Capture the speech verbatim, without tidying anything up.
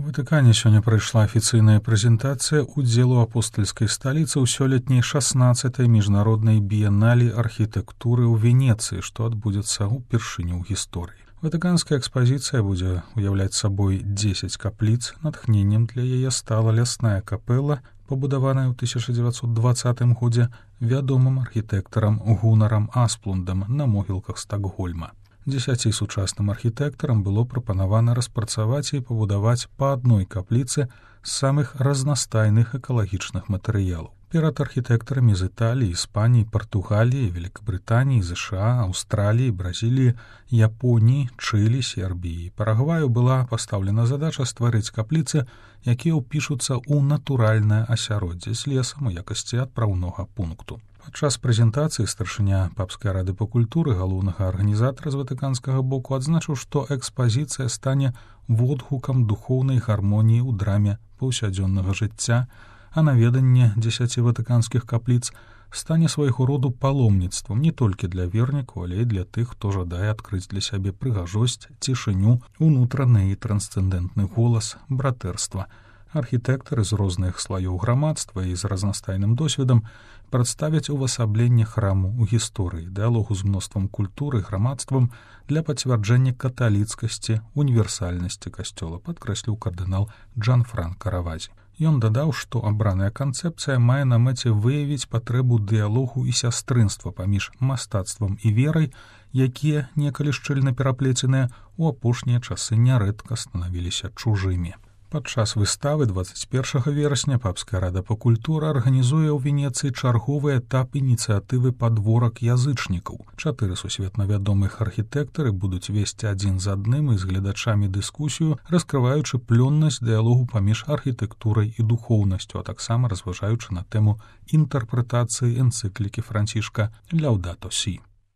У Ватыкане сёння прайшла афіцыйная прэзентацыя ўдзелу апостальскай сталіцы ў сёлетняй шаснаццатай міжнароднай біеналі архітэктуры ў Венецыі, што адбудзецца ўпершыню ў гісторыі. Ватыканская экспазіцыя будзе уяўляць сабой дзесяць капліц. Натхненнем для яе стала лясная капэла, пабудаваная ў тысяча дзевяцьсот дваццатым годзе вядомым архітэктарам Гунарам Асплундам на могілках Стакгольма. Дзесяці сучасным архітэктарам было прапанавана распрацаваць і пабудаваць па адной капліцы з самых разнастайных экалагічных матэрыялаў. Перад архітэктарамі з Італіі, Іспаніі, Партугаліі, Великабрытаніі, ЗША, Аўстраліі, Бразіліі, Японіі, Чылі, Сербіі і Парагваю была пастаўлена задача стварыць капліцы, якія ўпішуцца ў натуральнае асяроддзе з лесам у якасці адпраўнога пункту. Падчас прэзентацыі старшыня Папскай рады па культуры, галоўнага арганізатара з ватыканскага боку, адзначыў, што экспазіцыя стане водгукам духоўнай гармоніі ў драме паўсядзённага жыцця, а наведанне дзесяці ватыканскіх капліц стане свайго роду паломніцтвам не толькі для вернікаў, але і для тых, хто жадае адкрыць для сябе прыгажосць, цішыню, унутраны і трансцэндэнтны голас братэрства. Архітэктары з розных слаёў грамадства і з разнастайным досведам прадставяць увасабленне храму ў гісторыі, дыалогу з мноствам культуры, грамадствам для пацвярджэння каталіцкасці, універсальнасці касцёла, падкрэсліў кардынал Джанфранка Равазі. Ён дадаў, што абраная канцэпцыя мае на мэце выявіць патрэбу дыалогу і сястрынства паміж мастацтвам і верай, якія, некалі шчыльна пераплеценыя, у апошнія часы нярэдка станавіліся чужымі. Падчас выставы дваццаць першага верасня Папская рада па культуры арганізуе ў Венецыі чарговы этап ініцыятывы «Падворак язычнікаў». Чатыры сусветна вядомых архітэктары будуць весці адзін з адным і з гледачамі дыскусію, раскрываючы плённасць дыалогу паміж архітэктурай і духоўнасцю, а таксама разважаючы на тэму інтэрпрэтацыі энцыклікі Францішка «Ляўдато Сі».